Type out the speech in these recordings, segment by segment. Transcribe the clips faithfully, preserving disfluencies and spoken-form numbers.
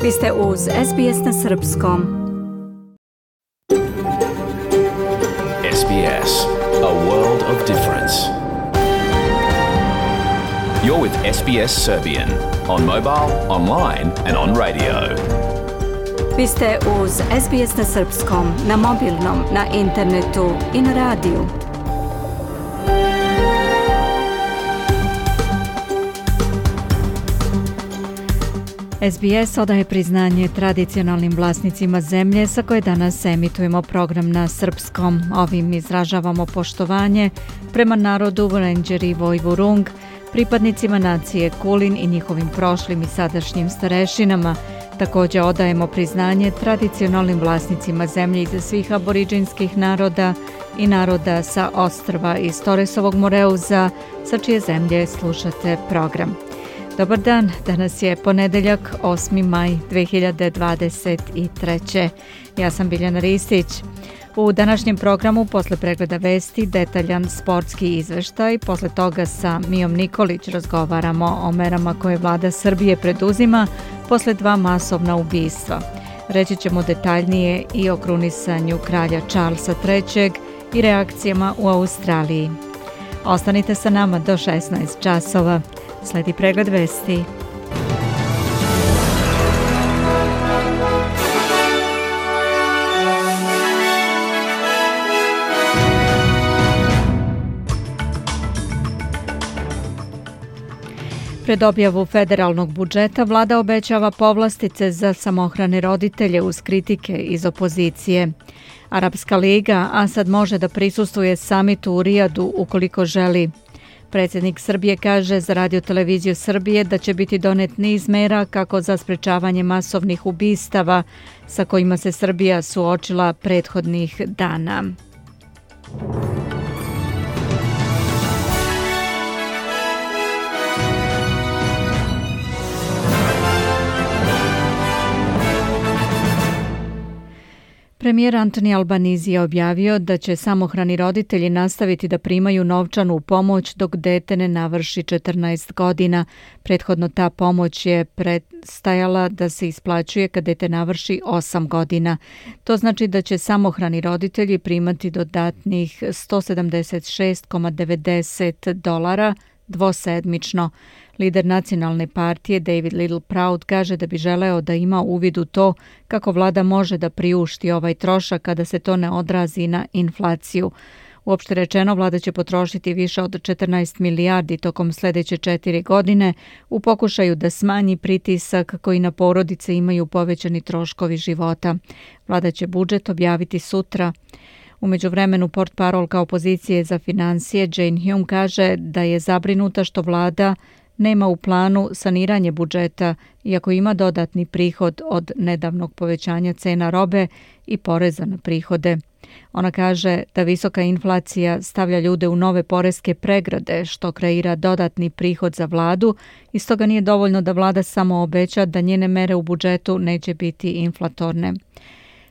Vi ste uz S B S na srpskom. S B S, a world of difference. You're with S B S Serbian on mobile, online and on radio. Vi ste uz S B S na srpskom, na mobilnom, na internetu i na radiju. S B S odaje priznanje tradicionalnim vlasnicima zemlje sa koje danas emitujemo program na srpskom. Ovim izražavamo poštovanje prema narodu Wurundjeri Woi-wurrung, pripadnicima nacije Kulin i njihovim prošlim i sadašnjim starešinama. Također odajemo priznanje tradicionalnim vlasnicima zemlje iz svih aboriđinskih naroda i naroda sa ostrva iz Torresovog Moreuza, sa čije zemlje slušate program. Dobar dan, danas je ponedeljak, osmi maj dve hiljade dvadeset treće. Ja sam Biljana Ristić. U današnjem programu, posle pregleda vesti, detaljan sportski izveštaj. Posle toga sa Mijom Nikolić razgovaramo o merama koje vlada Srbije preduzima posle dva masovna ubistva. Reći ćemo detaljnije i o krunisanju kralja Charlesa trećeg i reakcijama u Australiji. Ostanite sa nama do šesnaest časova. Sledi pregled vesti. Pred objavu federalnog budžeta vlada obećava povlastice za samohrane roditelje uz kritike iz opozicije. Arapska liga Asad može da prisustvuje samitu u Rijadu ukoliko želi. Predsjednik Srbije kaže za Radio televiziju Srbije da će biti donet niz mera kako za sprečavanje masovnih ubistava sa kojima se Srbija suočila prethodnih dana. Premijer Anthony Albanese je objavio da će samohrani roditelji nastaviti da primaju novčanu pomoć dok dete ne navrši četrnaest godina. Prethodno ta pomoć je prestajala da se isplaćuje kad dete navrši osam godina. To znači da će samohrani roditelji primati dodatnih sto sedamdeset šest zarez devedeset dolara dvosedmično. Lider nacionalne partije David Littleproud kaže da bi želeo da ima uvid u to kako vlada može da priušti ovaj trošak kada se to ne odrazi na inflaciju. Uopšte rečeno, vlada će potrošiti više od četrnaest milijardi tokom sljedeće četiri godine u pokušaju da smanji pritisak koji na porodice imaju povećani troškovi života. Vlada će budžet objaviti sutra. U međuvremenu portparolka opozicije za financije Jane Hume kaže da je zabrinuta što vlada nema u planu saniranje budžeta, iako ima dodatni prihod od nedavnog povećanja cena robe i poreza na prihode. Ona kaže da visoka inflacija stavlja ljude u nove poreske pregrade, što kreira dodatni prihod za vladu i stoga nije dovoljno da vlada samo obeća da njene mere u budžetu neće biti inflatorne.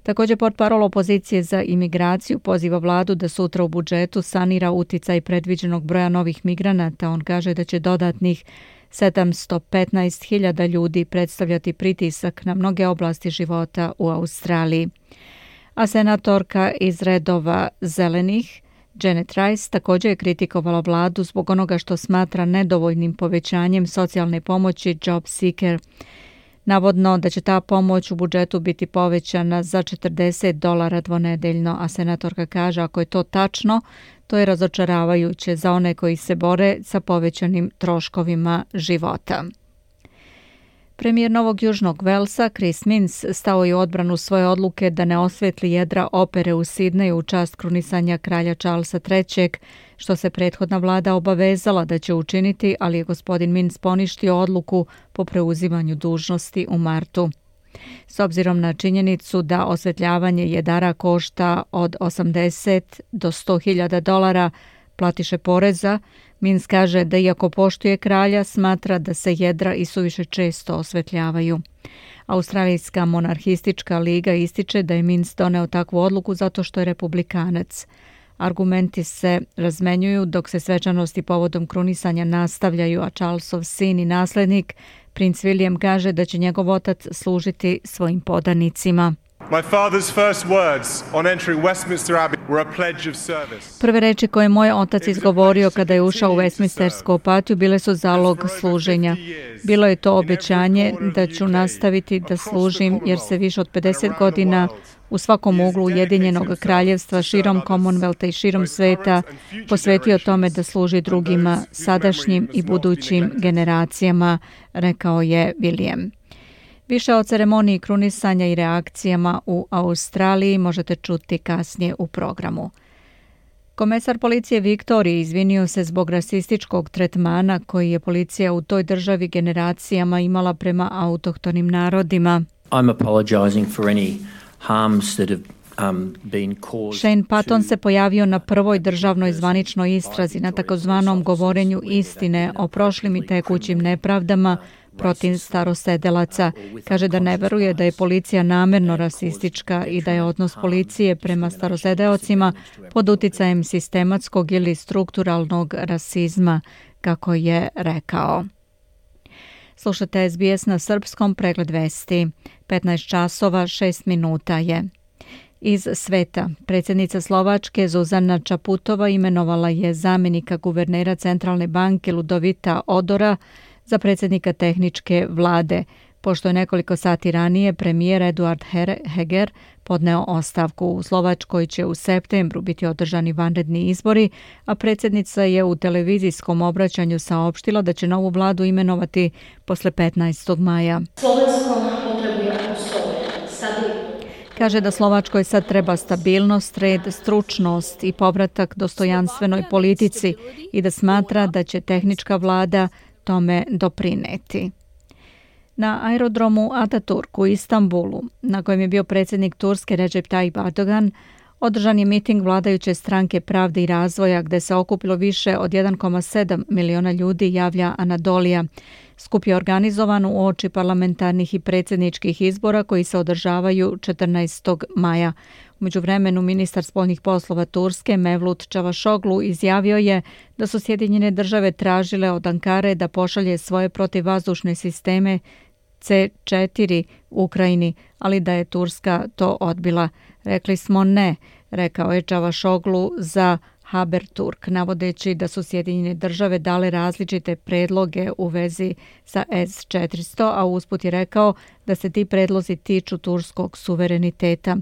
Također portparol opozicije za imigraciju poziva vladu da sutra u budžetu sanira uticaj predviđenog broja novih migranata. On kaže da će dodatnih sedamsto petnaest hiljada ljudi predstavljati pritisak na mnoge oblasti života u Australiji. A senatorka iz redova zelenih Janet Rice također je kritikovala vladu zbog onoga što smatra nedovoljnim povećanjem socijalne pomoći Job Seeker. Navodno da će ta pomoć u budžetu biti povećana za četrdeset dolara dvonedeljno, a senatorka kaže ako je to tačno, to je razočaravajuće za one koji se bore sa povećanim troškovima života. Premijer Novog Južnog Velsa Chris Minns stao je u odbranu svoje odluke da ne osvetli jedra opere u Sidneju u čast krunisanja kralja Charlesa trećeg, što se prethodna vlada obavezala da će učiniti, ali je gospodin Minns poništio odluku po preuzimanju dužnosti u martu. S obzirom na činjenicu da osvetljavanje jedara košta od osamdeset do sto hiljada dolara platiše poreza, Minns kaže da iako poštuje kralja, smatra da se jedra i suviše često osvetljavaju. Australijska monarhistička liga ističe da je Minns doneo takvu odluku zato što je republikanac. Argumenti se razmenjuju dok se svečanosti povodom krunisanja nastavljaju, a Charlesov sin i naslednik, princ William, kaže da će njegov otac služiti svojim podanicima. My father's first words on entering Westminster Abbey were a pledge of service. Prve reči koje je moj otac izgovorio kada je ušao u Westminstersku apatiju bile su zalog služenja. Bilo je to obećanje da ću nastaviti da služim jer se više od pedeset godina u svakom uglu Ujedinjenog kraljevstva, širom Commonwealtha i širom sveta posvetio tome da služi drugima, sadašnjim i budućim generacijama, rekao je William. Više o ceremoniji krunisanja i reakcijama u Australiji možete čuti kasnije u programu. Komesar policije Viktorije izvinio se zbog rasističkog tretmana koji je policija u toj državi generacijama imala prema autohtonim narodima. I'm apologizing for any harms that have Um, Shane Patton se pojavio na prvoj državnoj zvaničnoj istrazi na takozvanom govorenju istine o prošlim i tekućim nepravdama protiv starosedelaca. Kaže da ne veruje da je policija namerno rasistička i da je odnos policije prema starosedeocima pod uticajem sistematskog ili strukturalnog rasizma, kako je rekao. Slušate S B S na srpskom, pregled vesti. petnaest časova šest minuta je. Iz sveta, predsjednica Slovačke Zuzana Čaputova imenovala je zamjenika guvernera Centralne banke Ludovita Odora za predsjednika tehničke vlade, pošto je nekoliko sati ranije premijer Eduard Heger podneo ostavku. U Slovačkoj će u septembru biti održani vanredni izbori, a predsjednica je u televizijskom obraćanju saopštila da će novu vladu imenovati posle petnaestog maja. Slovensko potrebuje stabilitu. Kaže da Slovačkoj sad treba stabilnost, red, stručnost i povratak dostojanstvenoj politici i da smatra da će tehnička vlada tome doprineti. Na aerodromu Ataturk u Istanbulu, na kojem je bio predsjednik Turske Recep Tayyip Erdogan, održan je miting vladajuće stranke Pravde i razvoja gdje se okupilo više od jedan zarez sedam miliona ljudi, javlja Anadolija. Skup je organizovan u oči parlamentarnih i predsjedničkih izbora koji se održavaju četrnaestog maja. U međuvremenu ministar spoljnih poslova Turske Mevlut Čavašoglu izjavio je da su Sjedinjene države tražile od Ankare da pošalje svoje protivvazdušne sisteme C četiri u Ukrajini, ali da je Turska to odbila. Rekli smo ne, rekao je Čavašoglu za Haberturk, navodeći da su Sjedinjene države dale različite predloge u vezi sa S četiristo, a usput je rekao da se ti predlozi tiču turskog suvereniteta.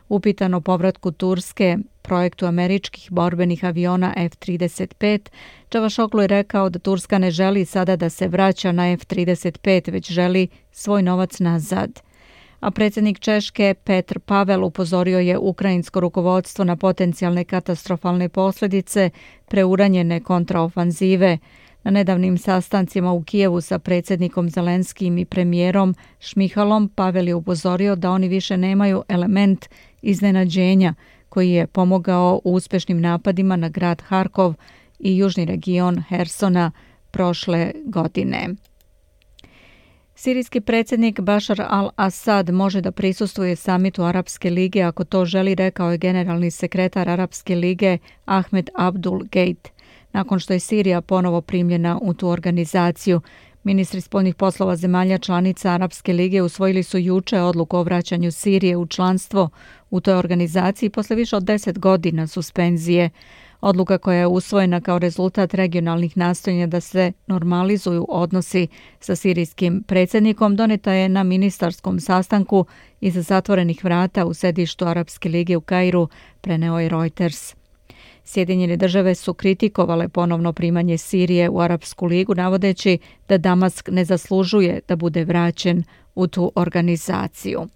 Upitan o povratku Turske projektu američkih borbenih aviona F trideset pet, Čavašoglu je rekao da Turska ne želi sada da se vraća na F trideset pet, već želi svoj novac nazad. A predsjednik Češke Petr Pavel upozorio je ukrajinsko rukovodstvo na potencijalne katastrofalne posljedice preuranjene kontraofanzive. Na nedavnim sastancima u Kijevu sa predsjednikom Zelenskim i premijerom Šmihalom Pavel je upozorio da oni više nemaju element iznenađenja koji je pomogao u uspješnim napadima na grad Harkov i južni region Hersona prošle godine. Sirijski predsjednik Bašar al-Assad može da prisustvuje samitu Arapske lige ako to želi, rekao je generalni sekretar Arapske lige Ahmed Abdul Gate. Nakon što je Sirija ponovo primljena u tu organizaciju, ministri spoljnih poslova zemalja članica Arapske lige usvojili su juče odluku o vraćanju Sirije u članstvo u toj organizaciji posle više od deset godina suspenzije. Odluka koja je usvojena kao rezultat regionalnih nastojanja da se normalizuju odnosi sa sirijskim predsjednikom doneta je na ministarskom sastanku iza zatvorenih vrata u sedištu Arapske lige u Kairu, preneo je Reuters. Sjedinjene države su kritikovale ponovno primanje Sirije u Arapsku ligu, navodeći da Damask ne zaslužuje da bude vraćen u tu organizaciju.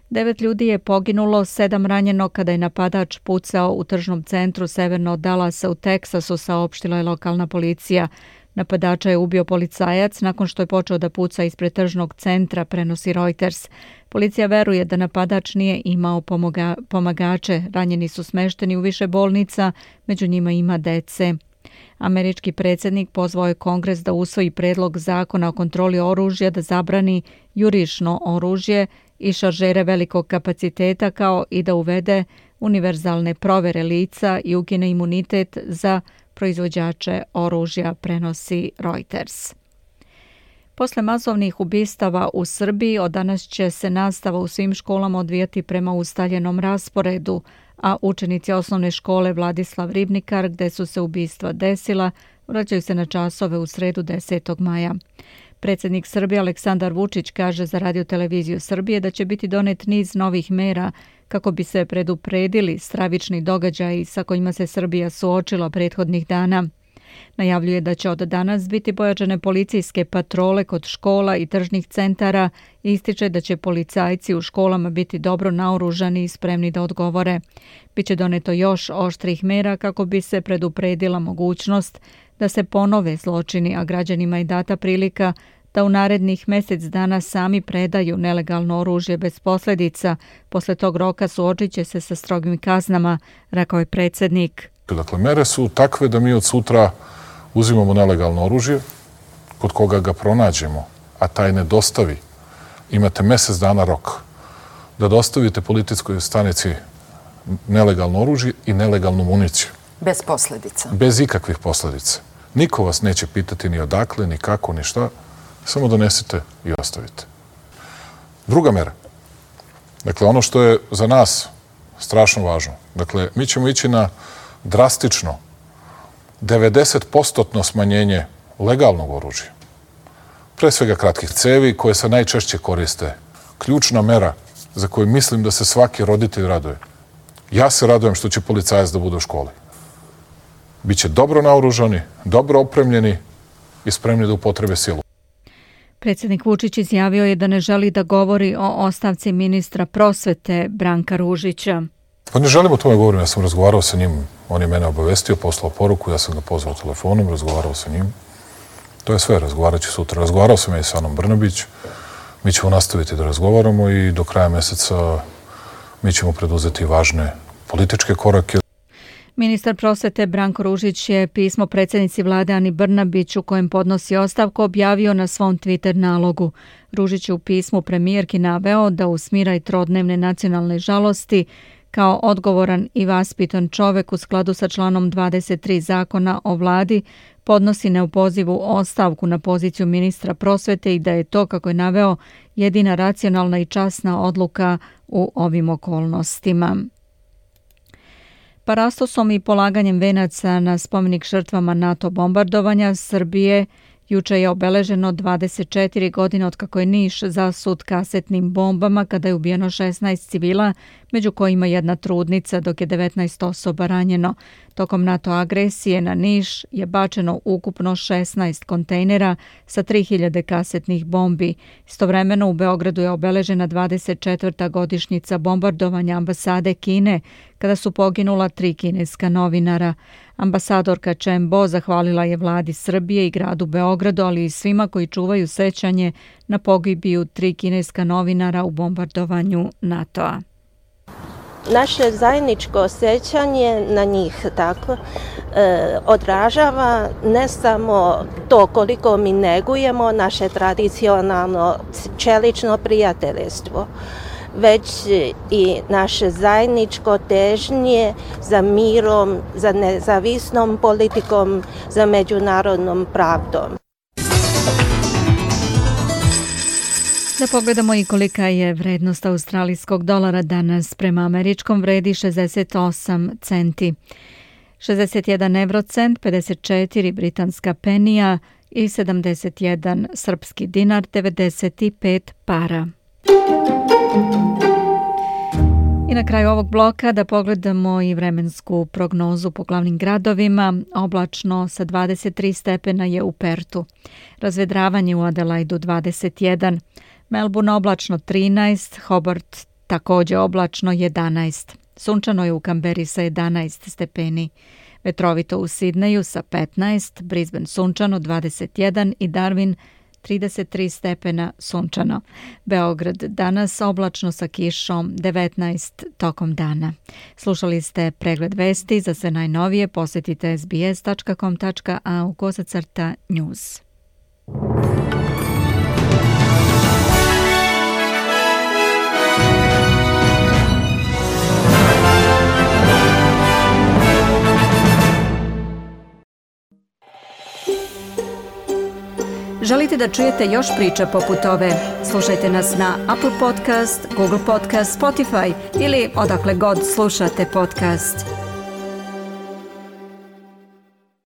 Devet ljudi je poginulo, sedam ranjeno kada je napadač pucao u tržnom centru severno od Dallasa u Teksasu, saopštila je lokalna policija. Napadača je ubio policajac nakon što je počeo da puca ispred tržnog centra, prenosi Reuters. Policija veruje da napadač nije imao pomoga, pomagače. Ranjeni su smešteni u više bolnica, među njima ima dece. Američki predsjednik pozvao je Kongres da usvoji predlog zakona o kontroli oružja da zabrani jurišno oružje i šaržere velikog kapaciteta, kao i da uvede univerzalne provere lica i ukine imunitet za proizvođače oružja, prenosi Reuters. Posle masovnih ubistava u Srbiji od danas će se nastava u svim školama odvijati prema ustaljenom rasporedu, a učenici osnovne škole Vladislav Ribnikar, gde su se ubistva desila, vraćaju se na časove u sredu desetog maja. Predsjednik Srbije Aleksandar Vučić kaže za Radio-televiziju Srbije da će biti donet niz novih mera kako bi se predupredili stravični događaji sa kojima se Srbija suočila prethodnih dana. Najavljuje da će od danas biti pojačane policijske patrole kod škola i tržnih centara i ističe da će policajci u školama biti dobro naoružani i spremni da odgovore. Biće doneto još oštrih mera kako bi se predupredila mogućnost da se ponove zločini, a građanima je data prilika da u narednih mjesec dana sami predaju nelegalno oružje bez posljedica. Posle tog roka suočit će se sa strogim kaznama, rekao je predsjednik. Dakle, mere su takve da mi od sutra uzimamo nelegalno oružje, kod koga ga pronađemo, a taj ne dostavi. Imate mjesec dana rok da dostavite policijskoj stanici nelegalno oružje i nelegalnu municiju. Bez posljedica. Bez ikakvih posljedica. Niko vas neće pitati ni odakle, ni kako, ni šta. Samo donesite i ostavite. Druga mera. Dakle, ono što je za nas strašno važno. Dakle, mi ćemo ići na drastično devedeset posto smanjenje legalnog oružja. Pre svega kratkih cevi koje se najčešće koriste. Ključna mera za koju mislim da se svaki roditelj raduje. Ja se radujem što će policajac da bude u školi. Biće dobro naoružani, dobro opremljeni i spremni da upotrebe silu. Predsjednik Vučić izjavio je da ne želi da govori o ostavci ministra prosvete Branka Ružića. Pa ne želim o tome govorim, ja sam razgovarao sa njim, on je mene obavestio, poslao poruku, ja sam ga pozvao telefonom, razgovarao sa njim. To je sve, razgovarat ću sutra. Razgovarao sam ja i sa Anom Brnabić, mi ćemo nastaviti da razgovaramo i do kraja mjeseca mi ćemo preduzeti važne političke korake. Ministar prosvete Branko Ružić je pismo predsjednici vlade Ani Brnabić u kojem podnosi ostavku objavio na svom Twitter nalogu. Ružić je u pismu premijerki naveo da u smiraj trodnevne nacionalne žalosti kao odgovoran i vaspitan čovek u skladu sa članom dvadeset tri zakona o vladi podnosi neopozivu ostavku na poziciju ministra prosvete i da je to, kako je naveo, jedina racionalna i časna odluka u ovim okolnostima. Parastosom i polaganjem venaca na spomenik žrtvama NATO bombardovanja Srbije juče je obeleženo dvadeset četiri godine od kako je Niš zasut kasetnim bombama kada je ubijeno šesnaest civila, među kojima jedna trudnica, dok je devetnaest osoba ranjeno. Tokom NATO agresije na Niš je bačeno ukupno šesnaest kontejnera sa tri hiljade kasetnih bombi. Istovremeno u Beogradu je obeležena dvadeset četvrta godišnjica bombardovanja ambasade Kine, kada su poginula tri kineska novinara. Ambasadorka Chen Bo zahvalila je vladi Srbije i gradu Beogradu, ali i svima koji čuvaju sećanje na pogibiju tri kineska novinara u bombardovanju NATO-a. Naše zajedničko sećanje na njih tako e, odražava ne samo to koliko mi negujemo naše tradicionalno čelično prijateljstvo, već i naše zajedničko težnje za mirom, za nezavisnom politikom, za međunarodnom pravdom. Da pogledamo i kolika je vrednost australijskog dolara danas. Prema američkom vredi šezdeset osam centi. šezdeset jedan evrocent, pedeset četiri britanska penija i sedamdeset jedan srpski dinar, devedeset pet para. I na kraju ovog bloka da pogledamo i vremensku prognozu po glavnim gradovima. Oblačno sa dvadeset tri stepena je u Pertu. Razvedravanje u Adelaidu dvadeset jedan. Melbourne oblačno trinaest, Hobart također oblačno jedanaest. Sunčano je u Kamberi sa jedanaest stepeni. Vetrovito u Sidneju sa petnaest, Brisbane sunčano dvadeset jedan i Darwin trideset tri stepena sunčano. Beograd danas oblačno sa kišom devetnaest tokom dana. Slušali ste pregled vesti. Za sve najnovije posjetite s b s tačka com tačka a u kosacrta news. Želite da čujete još priča poput ove? Slušajte nas na Apple Podcast, Google Podcast, Spotify ili odakle god slušate podcast.